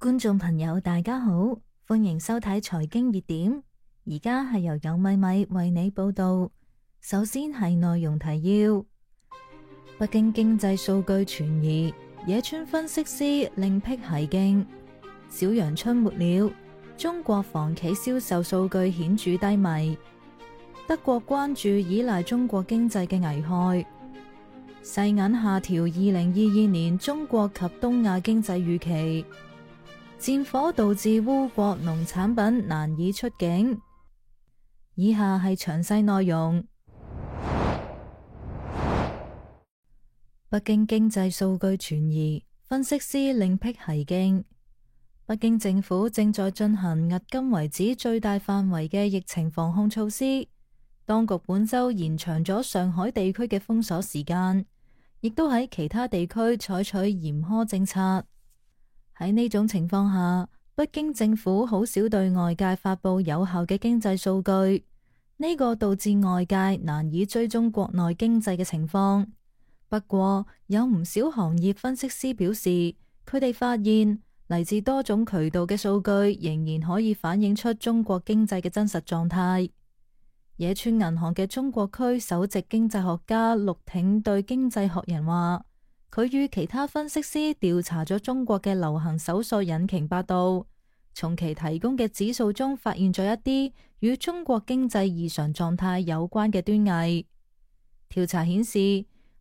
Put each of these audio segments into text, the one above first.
觀眾朋友大家好，歡迎收睇財經熱點。而家係由有米米為你報道。首先係內容提要：北京經濟數據傳疑，野村分析師另闢蹊徑。小陽春沒了，中國房企銷售數據顯著低迷。德國關注依賴中國經濟嘅危害。世銀下調2022年中國及東亞經濟預期。戰火導致烏國農產品難以出境。以下係詳細內容。北京經濟數據傳疑，分析師另闢蹊徑。北京政府正在進行迄今為止最大範圍嘅疫情防控措施。當局本周延長咗上海地區嘅封鎖時間，亦都喺其他地區採取嚴苛政策。喺呢種情況下，北京政府好少對外界發佈有效嘅經濟數據，呢個導致外界難以追蹤國內經濟嘅情況。不過，有唔少行業分析師表示，佢哋發現嚟自多種渠道嘅數據仍然可以反映出中國經濟嘅真實狀態。野村銀行嘅中國區首席經濟學家陸挺對經濟學人話，佢與其他分析師調查咗中國嘅流行搜索引擎百度，從其提供嘅指數中發現咗一啲與中國經濟異常狀態有關嘅端倪。調查顯示，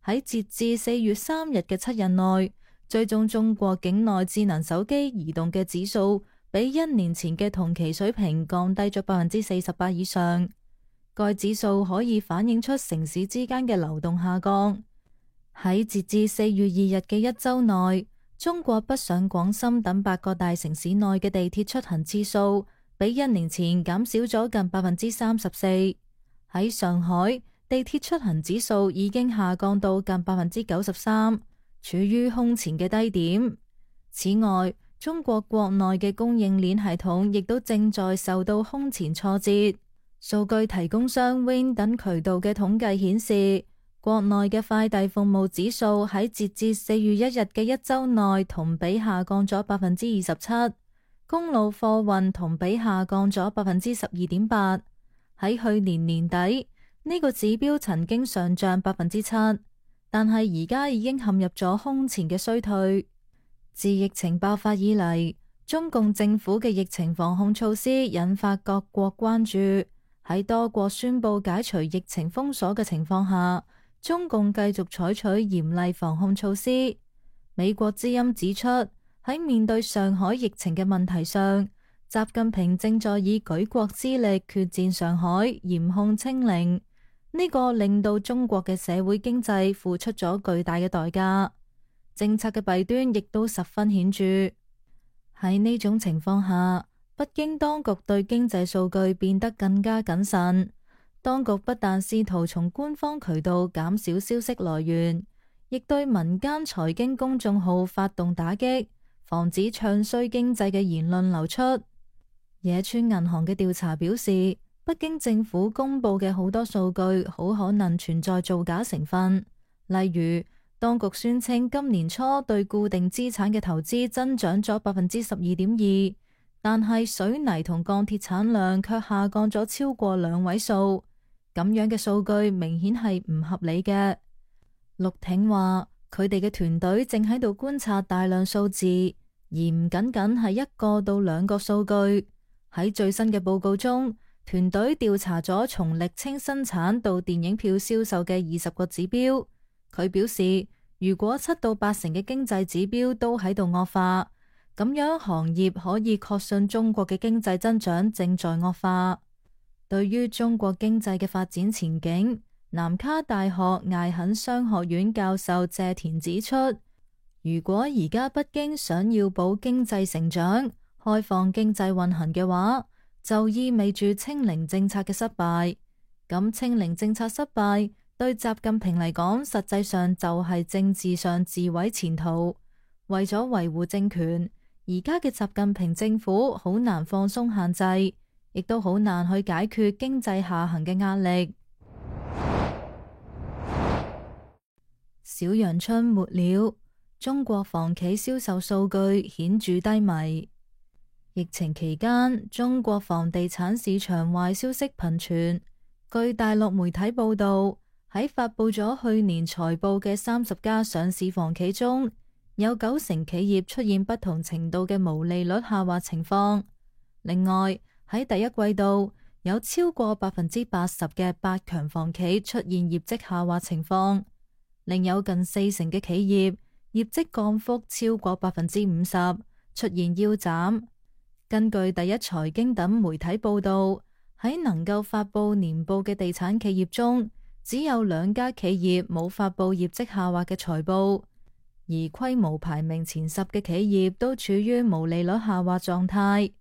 喺截至4月3日嘅7日內，追蹤中國境內智能手機移動嘅指數比1年前嘅同期水平降低咗48%以上。該指數可以反映出城市之間嘅流動下降。喺截至4月2日嘅一周內，中國北上廣深等8個大城市內嘅地鐵出行次數比1年前減少咗近34%。喺上海，地鐵出行指數已經下降到近93%，處於空前嘅低點。此外，中國國內嘅供應鏈系統亦都正在受到空前挫折。數據提供商 Win 等渠道嘅統計顯示，國內嘅快遞服務指數喺截至4月1日嘅一周內同比下降咗27%，公路貨運同比下降咗12.8%。喺去年年底，呢個指標曾經上漲7%，但係而家已經陷入咗空前嘅衰退。自疫情爆發以嚟，中共政府嘅疫情防控措施引發各國關注。喺多國宣布解除疫情封鎖嘅情況下，中共繼續採取嚴厲防控措施。美國之音指出，喺面對上海疫情嘅問題上，習近平正在以舉國之力決戰上海，嚴控清零。呢個令到中國嘅社會經濟付出咗巨大嘅代價，政策嘅弊端亦都十分顯著。喺呢種情況下，北京當局對經濟數據變得更加謹慎。當局不但試圖從官方渠道減少消息來源，亦對民間財經公眾號發動打擊，防止唱衰經濟嘅言論流出。野村銀行嘅調查表示，北京政府公布嘅好多數據好可能存在造假成分。例如，當局宣稱今年初對固定資產嘅投資增長咗12.2%，但係水泥同鋼鐵產量卻下降咗超過2位數，咁樣嘅數據明顯係唔合理嘅。陸挺話，佢哋嘅團隊正喺度觀察大量數字，而唔僅僅係1個到2個數據。喺最新嘅報告中，團隊調查咗從瀝青生產到電影票銷售嘅20個指標。佢表示，如果7到8成嘅經濟指標都喺度惡化，咁樣行業可以確信中國嘅經濟增長正在惡化。對於中國經濟嘅發展前景，南卡大學艾肯商學院教授謝田指出，如果而家北京想要保經濟成長、開放經濟運行嘅話，就意味住清零政策嘅失敗。咁清零政策失敗對習近平嚟講，實際上就係政治上自毀前途。為咗維護政權，而家嘅習近平政府好難放鬆限制，亦都好難去解決經濟下行嘅壓力。小陽春沒了，中國房企銷售數據顯著低迷。疫情期間，中國房地產市場壞消息頻傳。據大陸媒體報道，喺發佈咗去年財報嘅30家上市房企中，有90%企業出現不同程度嘅毛利率下滑情況。另外，喺第一季度，有超過80%嘅百強房企出現業績下滑情況，另有近40%嘅企業業績降幅超過50%，出現腰斬。根據第一財經等媒體報道，喺能夠發佈年報嘅地產企業中，只有2家企業冇發佈業績下滑嘅財報，而規模排名前10嘅企業都處於毛利率下滑狀態。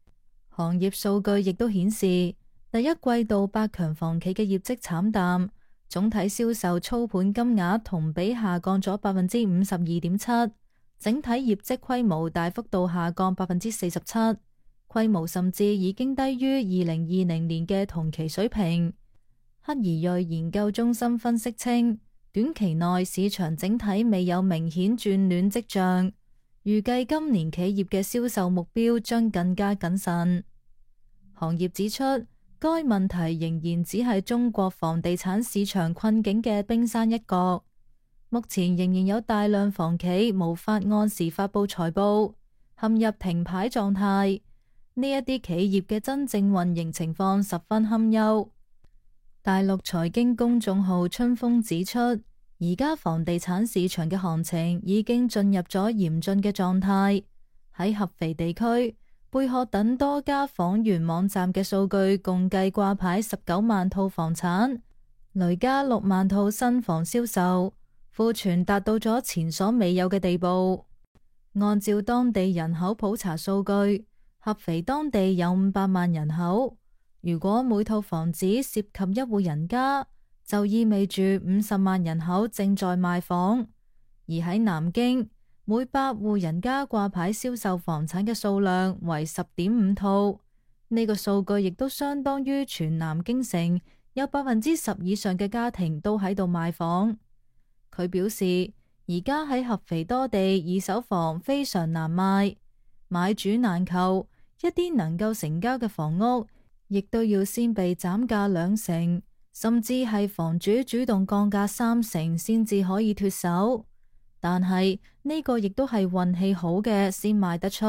行業數據亦都顯示，第一季度百強房企嘅業績慘淡，總體銷售操盤金額同比下降咗52.7%，整體業績規模大幅度下降47%。規模甚至已經低於2020年嘅同期水平。克怡瑞研究中心分析稱，短期內市場整體未有明顯轉暖跡象，預計今年企業嘅銷售目標將更加謹慎。行業指出，該問題仍然只係中國房地產市場困境嘅冰山一角，目前仍然有大量房企無法按時發佈財報，陷入停牌狀態。呢一啲企業嘅真正運營情況十分堪憂。大陸財經公眾號春風指出，而家房地產市場嘅行情已經進入咗嚴峻嘅狀態。喺合肥地區，貝殼等多家房源網站嘅數據共計掛牌19萬套房產，累加6萬套新房銷售，庫存達到咗前所未有嘅地步。按照當地人口普查數據，合肥當地有500萬人口，如果每套房子涉及一戶人家，就意味住50萬人口正在賣房。而喺南京，每100戶人家掛牌銷售房產嘅數量為10.5套，呢個數據亦都相當於全南京城有10%以上嘅家庭都喺度賣房。佢表示，而家喺合肥多地二手房非常難賣，買主難求。一啲能夠成交嘅房屋，亦都要先被斬價20%，甚至係房主主動降價30%先至可以脫手。但係呢個亦都係運氣好嘅先賣得出，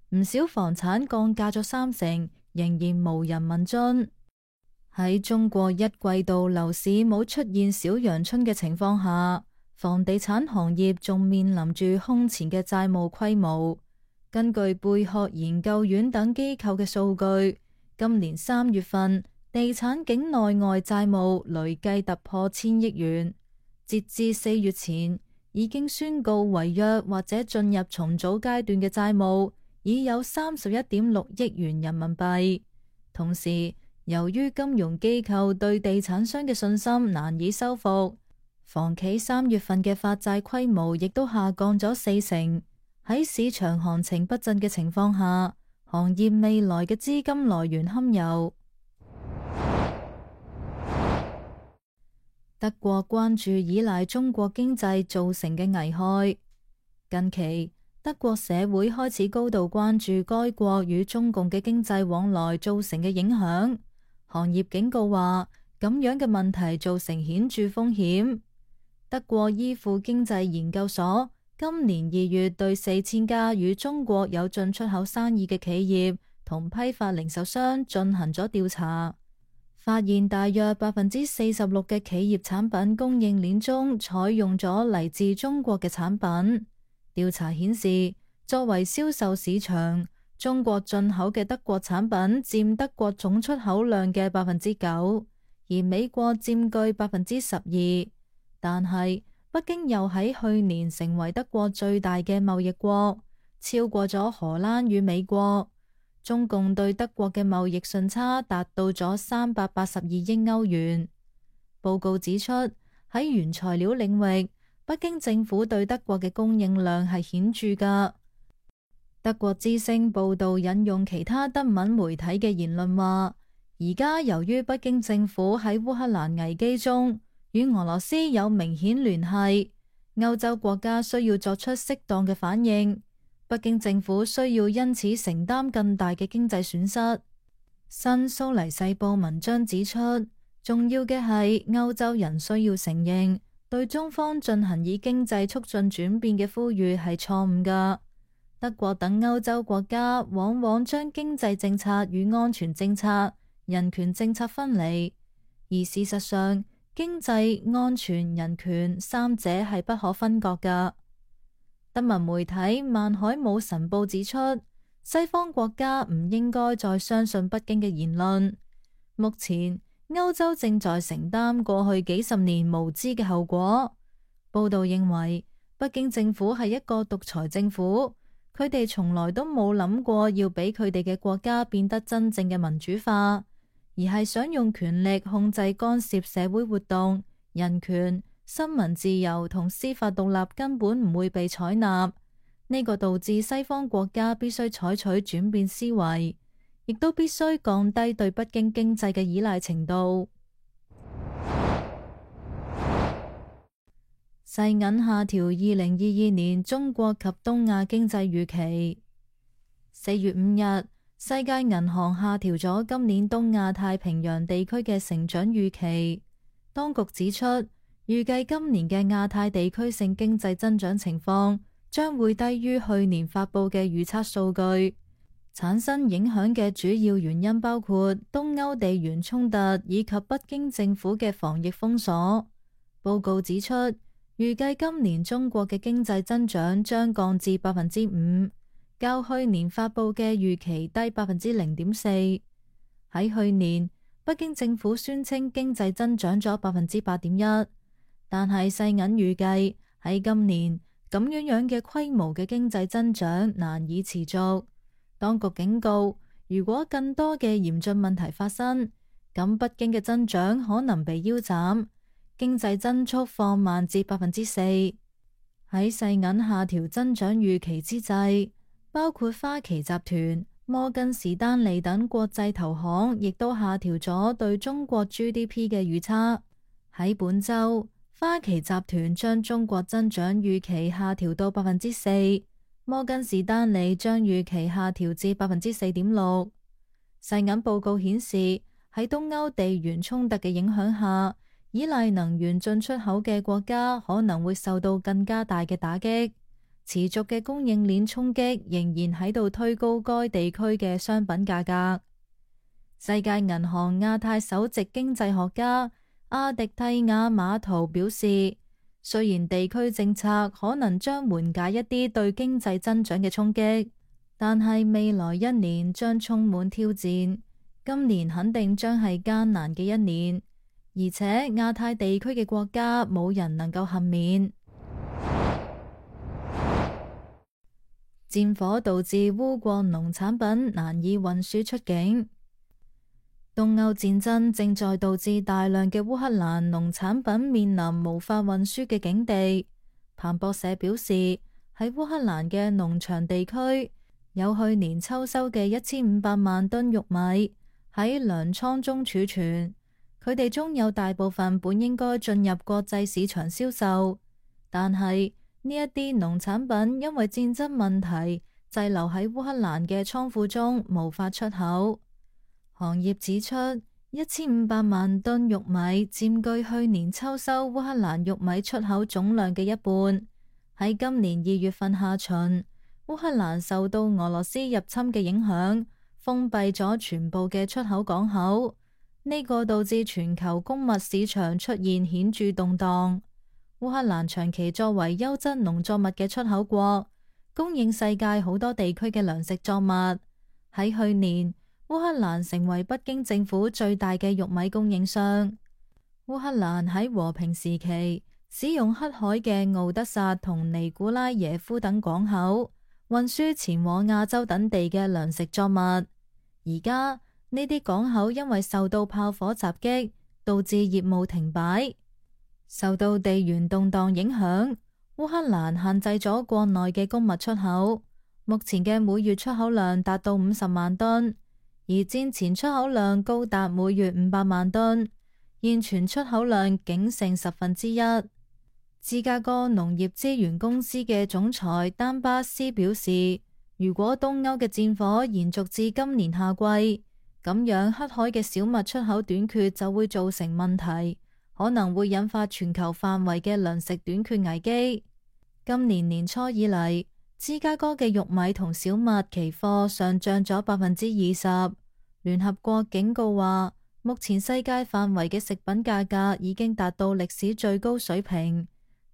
唔少房產降價咗30%，仍然無人問津。喺中國一季度樓市冇出現小陽春嘅情況下，房地產行業仲面臨住空前嘅債務規模。根據貝殼研究院等機構嘅數據，今年3月份地產境內外債務累計突破1000億元。截至4月前，已經宣告違約或者進入重組階段嘅債務已有31.6億元人民幣。同時，由於金融機構對地產商嘅信心難以修復，房企3月份嘅發債規模亦都下降咗40%。喺市場行情不振嘅情況下，行業未來嘅資金來源堪憂。德國關注依賴中國經濟造成嘅危害。近期，德國社會開始高度關注該國與中共嘅經濟往來造成嘅影響。行業警告話，咁樣嘅問題造成顯著風險。德國依附經濟研究所今年2月對4000家與中國有進出口生意嘅企業同批發零售商進行咗調查，發現大約46%嘅企業產品供應鏈中採用咗嚟自中國嘅產品。調查顯示，作為銷售市場，中國進口嘅德國產品佔德國總出口量嘅9%，而美國佔據12%。但係，北京又喺去年成為德國最大嘅貿易國，超過咗荷蘭與美國。中共對德國嘅貿易順差達到咗382億歐元。報告指出，喺原材料領域，北京政府對德國嘅供應量係顯著㗎。德國之聲報道引用其他德文媒體嘅言論話，而家由於北京政府喺烏克蘭危機中與俄羅斯有明顯聯繫，歐洲國家需要作出適當嘅反應。北京政府需要因此承擔更大嘅經濟損失。新蘇黎世報文章指出，重要嘅係歐洲人需要承認，對中方進行以經濟促進轉變嘅呼籲係錯誤㗎。德國等歐洲國家往往將經濟政策與安全政策、人權政策分離，而事實上，經濟、安全、人權三者係不可分割㗎。德文媒體《曼海姆晨報》指出，西方國家唔應該再相信北京嘅言論。目前，歐洲正在承擔過去幾十年無知嘅後果。報道認為，北京政府係一個獨裁政府，佢哋從來都冇諗過要俾佢哋嘅國家變得真正嘅民主化，而係想用權力控制干涉社會活動、人權、新聞自由同司法獨立根本唔會被採納。呢個導致西方國家必須採取轉變思維，亦都必須降低對北京經濟嘅依賴程度。世銀下調2022年中國及東亞經濟預期。4月5日，世界銀行下調咗今年東亞太平洋地區嘅成長預期。當局指出，預計今年嘅亞太地區性經濟增長情況將會低於去年發佈嘅預測數據。產生影響嘅主要原因包括東歐地緣衝突以及北京政府嘅防疫封鎖。報告指出，預計今年中國嘅經濟增長將降至5%，較去年發佈嘅預期低0.4%。喺去年，北京政府宣稱經濟增長咗8.1%，但係世銀預計喺今年咁樣嘅規模嘅經濟增長難以持續。當局警告，如果更多嘅嚴峻問題發生，咁北京嘅增長可能被腰斬，經濟增速放慢至4%。喺世銀下調增長預期之際，包括花旗集團、摩根士丹利等國際投行亦都下調咗對中國 GDP 嘅預測。喺本週，花旗集團將中國增長預期下調到4%，摩根士丹利將預期下調至4.6%。世銀報告顯示，喺東歐地緣衝突嘅影響下，依賴能源進出口嘅國家可能會受到更加大嘅打擊。持續嘅供應鏈衝擊仍然喺度推高該地區嘅商品價格。世界銀行亞太首席經濟學家阿迪蒂亞馬圖表示，雖然地區政策可能將緩解一啲對經濟增長嘅衝擊，但係未來一年將充滿挑戰。今年肯定將係艱難嘅一年，而且亞太地區嘅國家冇人能夠幸免。戰火導致烏國農產品難以運輸出境。東歐戰爭正在導致大量嘅烏克蘭農產品面臨無法運輸嘅境地。彭博社表示，喺烏克蘭嘅農場地區，有去年秋收嘅1500萬噸玉米喺糧倉中儲存，佢哋中有大部分本應該進入國際市場銷售，但係呢一啲農產品因為戰爭問題滯留喺烏克蘭嘅倉庫中，無法出口。行業指出，1500萬噸玉米佔據去年秋收烏克蘭玉米出口總量嘅一半。喺今年2月份下旬，烏克蘭受到俄羅斯入侵嘅影響，封閉咗全部嘅出口港口，呢個導致全球穀物市場出現顯著動盪。烏克蘭長期作為優質農作物嘅出口國，供應世界好多地區嘅糧食作物。喺去年，烏克蘭成為北京政府最大嘅玉米供應商。烏克蘭喺和平時期使用黑海嘅敖德薩同尼古拉耶夫等港口運輸前往亞洲等地嘅糧食作物。而家呢啲港口因為受到炮火襲擊，導致業務停擺。受到地緣動盪影響，烏克蘭限制咗國內嘅穀物出口，目前嘅每月出口量達到50萬噸。而戰前出口量高達每月500萬噸，現存出口量僅剩1/10。戰芝加哥農業資源公司嘅總裁丹巴斯表示，如果東歐嘅戰火延續至今年夏季，咁樣黑海嘅小麥出口短缺就會造成問題，可能會引發全球範圍嘅糧食短缺危機。今年年初以嚟，芝加哥嘅玉米同小麥期貨上漲咗20%。聯合國警告話，目前世界範圍嘅食品價格已經達到歷史最高水平，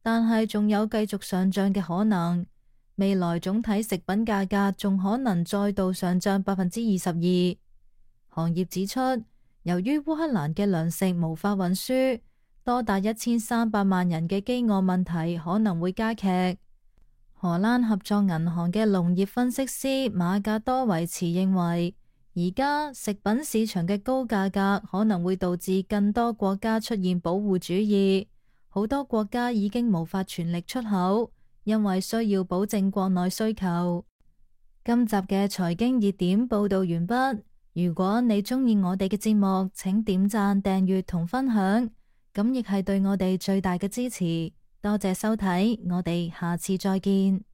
但係仲有繼續上漲嘅可能。未來總體食品價格仲可能再度上漲22%。行業指出，由於烏克蘭嘅糧食無法運輸，多達1300萬人嘅飢餓問題可能會加劇。荷蘭合作銀行嘅農業分析師馬格多維茨認為，而家食品市場嘅高價格可能會導致更多國家出現保護主義，好多國家已經無法全力出口，因為需要保證國內需求。今集嘅財經熱點報道完畢。如果你鍾意我哋嘅節目，請點讚、訂閱同分享，咁亦係對我哋最大嘅支持。多謝收睇，我哋下次再見。